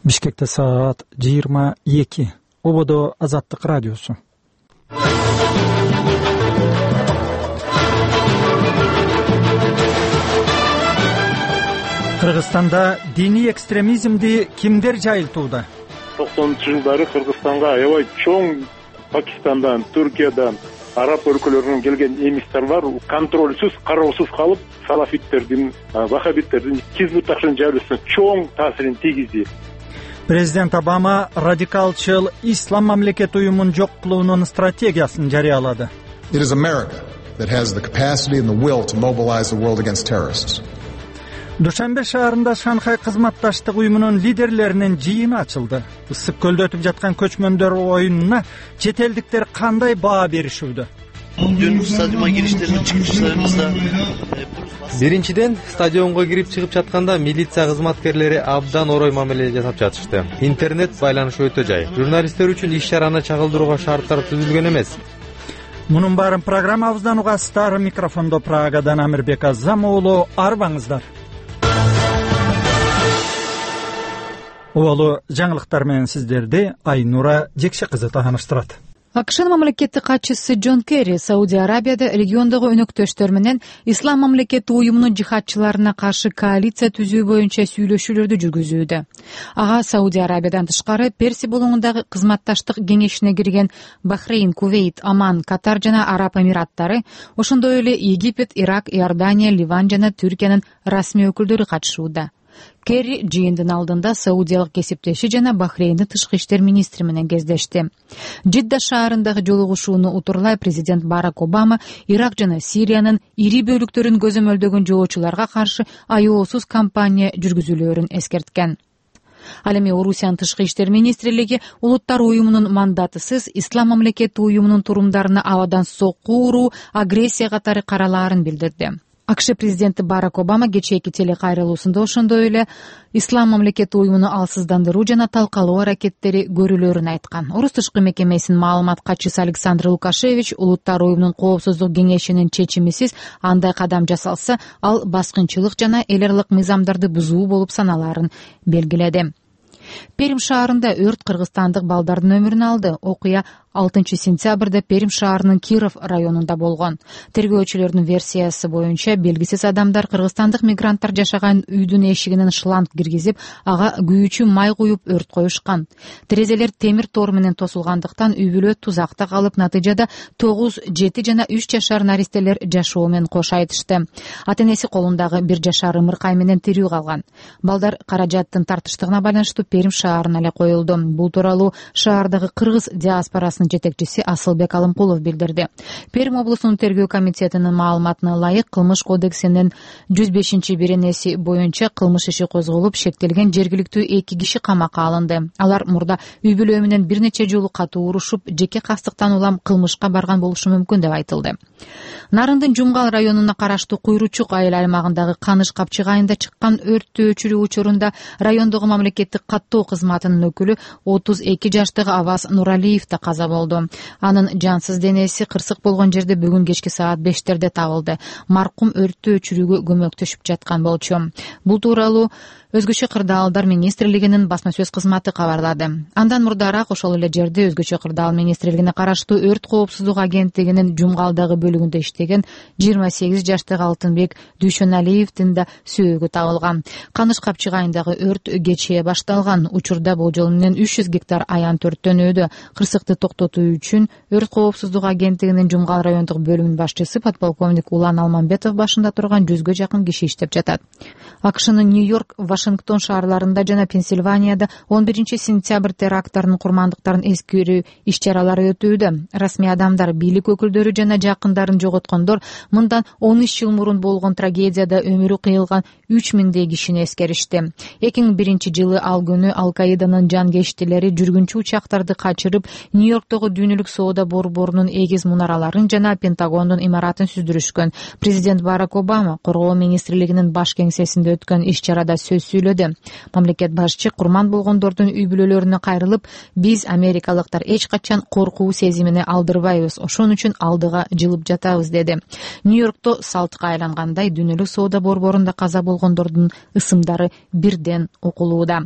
Бишкекте саат 22. Ободо Азаттык радиосу. Кыргызстанда диний экстремизмди кимдер жайылтууда? 90-жылдары Кыргызстанга аябай чоң Пакистандан, Түркиядан, араб өлкөлөрүнөн келген эмистарлар контролсуз, кароосуз калып, салафиттердин, вахабиттердин Хизбут-тахрир жайлоосуна чоң таасирин тийгизди. Президент Обама радикалчыл ислам мамлекет уюмун жок кылуунун стратегиясын жарыялады. It is America that has the capacity and the will to mobilize the world against terrorists. Душанбе шаарында Шанхай кызматташтык уюмунун лидерлеринин жыйыны ачылды. Ысык көлдө өтүп жаткан көчмөндөр оюнуна чет элдиктер кандай баа беришүүдө? Биринчиден, стадионго кирип чыгып жатканда милиция кызматкерлери абдан орой мамиле жасап жатышты. Интернет байланышы өтө жай. Журналисттер үчүн иш-чараны чагылдырууга шарттар түзүлгөн эмес. Мунун баарын программабыздан угасыздар. Микрофондо Прагадан Амирбек Азам уулу, арбаңыздар. Уолу жаңылыктар менен сиздерди Айнура Жекше кызы тааныштырат. АКШнын мамлекеттик катчысы Джон Керри Сауди Арабияда региондогу өнөктөштөр менен ислам мамлекети уюмунун жихадчыларына каршы коалиция түзүү боюнча сүйлөшүүлөрдү жүргүзүүдө. Ага Сауди Арабиядан тышкары Персия булуңундагы кызматташтык кеңешине кирген Бахрейн, Кувейт, Оман, Катар жана Араб Эмираттары, ошондой эле Египет, Ирак, Иордания, Ливан жана Түркиянын расмий өкүлдөрү катышууда. Керри жыйындын алдында саудиялык кесиптеши жана Бахрейндин тышкы иштер министри менен кездешти. Жидда шаарындагы жолугушууну утурлай президент Барак Обама Ирак жана Сириянын ири бөлүктөрүн көзөмөлдөгөн жоочуларга каршы аяосуз кампания жүргүзүлөөрүн эскерткен. Ал эми Орусиянын тышкы иштер министрлиги улуттар уюмунун мандатысыз ислам мамлекети уюмунун турумдарына абадан сокку уруу, агрессия катары каралаарын билдирди. АКШ президенти Барак Обама кечээки телекайрылуусунда ошондой эле ислам мамлекети уюмуну алсыздандыруу жана талкалоо аракеттери көрүлөөрүн айткан. Орус тышкы мекемесинин маалымат катчысы Александр Лукашевич улуттар уюмунун коопсуздук кеңешинин чечимисиз андай кадам жасалса, ал баскынчылык жана эл аралык мыйзамдарды бузуу болуп саналаарын белгиледи. Перим шаарында өрт кыргызстандык балдардын өмүрүн алды. Окуя 6-сентябрда Перим шаарынын Киров районунда болгон. Тергөөчүлөрдүн версиясы боюнча белгисиз адамдар кыргызстандык мигранттар жашаган үйдүн эшигинен шланг киргизип, ага күйүүчү май куюп өрт коюшкан. Терезелер темир тор менен тосулгандыктан үй бүлө тузакта калып, натыйжада 9, 7 жана 3 жашар наристелер жашоо менен кош айтышты. Ата-энеси колундагы 1 жашар ымыркай менен тирүү калган. Балдар каражаттын тартыштыгына байланыштуу Перим шаарына эле коюлду. Бул тууралуу шаардагы кыргыз диаспорасынын жетекчиси Асылбек Алымкулов билдирди. Перим облусунун тергөө комитетинин маалыматына ылайык, кылмыш кодексинин 105-беренеси боюнча кылмыш иши козголуп, шектелген жергиликтүү 2 киши камакка алынды. Алар мурда үй бүлө менен бир нече жолу катуу урушуп, жеке кастыктан улам кылмышка барган болушу мүмкүн деп айтылды. Нарындын Жумгал районуна караштуу Куйручук айыл аймагындагы Каныш Капчык айында чыккан өрттү өчүрүү учурунда райондогу мамлекеттик каттоо кызматынын өкүлү 32 жаштагы Аваз Нуралиев да каза болду. Анын жансыз денеси кырсык болгон жерде бүгүн кечки саат 5-терде табылды. Маркум өрттү өчүрүүгө көмөктөшүп жаткан болчу. Бул тууралуу Өзгөчө кырдаалдар министрлигинин басма сөз кызматы кабарлады. Андан мурдараак ошол эле жерде Өзгөчө кырдаал министрлигине караштуу өрт коопсуздук агенттигинин Жумгалдагы бөлүгүндө иштеген 28 жаштагы Алтынбек Дүйшөналиевдин да сүйөгү табылган. Каныш Капчык айындагы өрт кечээ башталган. Учурда болжол менен 300 гектар аянт өрттөнүүдө. Кырсыкты токтотуу үчүн өрт коопсуздук агенттигинин Жумгал райондук бөлүмүнүн башчысы подполковник Улан Алманбетов башында турган 100гө жакын киши иштеп жатат. АКШнын Нью-Йорк, Вашингтон шаарларында жана Пенсильванияда 11-сентябрь теракттарынын курмандыктарын эскерүү иш-чаралары өтүүдө. Расмий адамдар, бийлик өкүлдөрү жана жакындарын жоготкондор мындан 13 жыл мурун болгон трагедияда өмүрү кыйылган 3000 кишини эскеришти. 2001-жылы ал күнү Ал-Каиданын жангештилери жүргүнчү учактарды качырып, Нью-Йорктогу дүйнөлүк соода борборунун эгиз мунараларын жана Пентагондун имаратын сүздүрүшкөн. Президент Барак Обама коргоо министрлигинин баш кеңсесинде өткөн иш-чарада сөз сүйлөдү. Мамлекет башчы курман болгондордун үй бүлөлөрүнө кайрылып, биз америкалыктар эч качан коркуу сезимине алдырбайбыз, ошон үчүн алдыга жылып жатабыз деди. Нью-Йоркто салтка айлангандай дүйнөлүк соода борборунда каза болгондордун ысымдары бирден окулууда.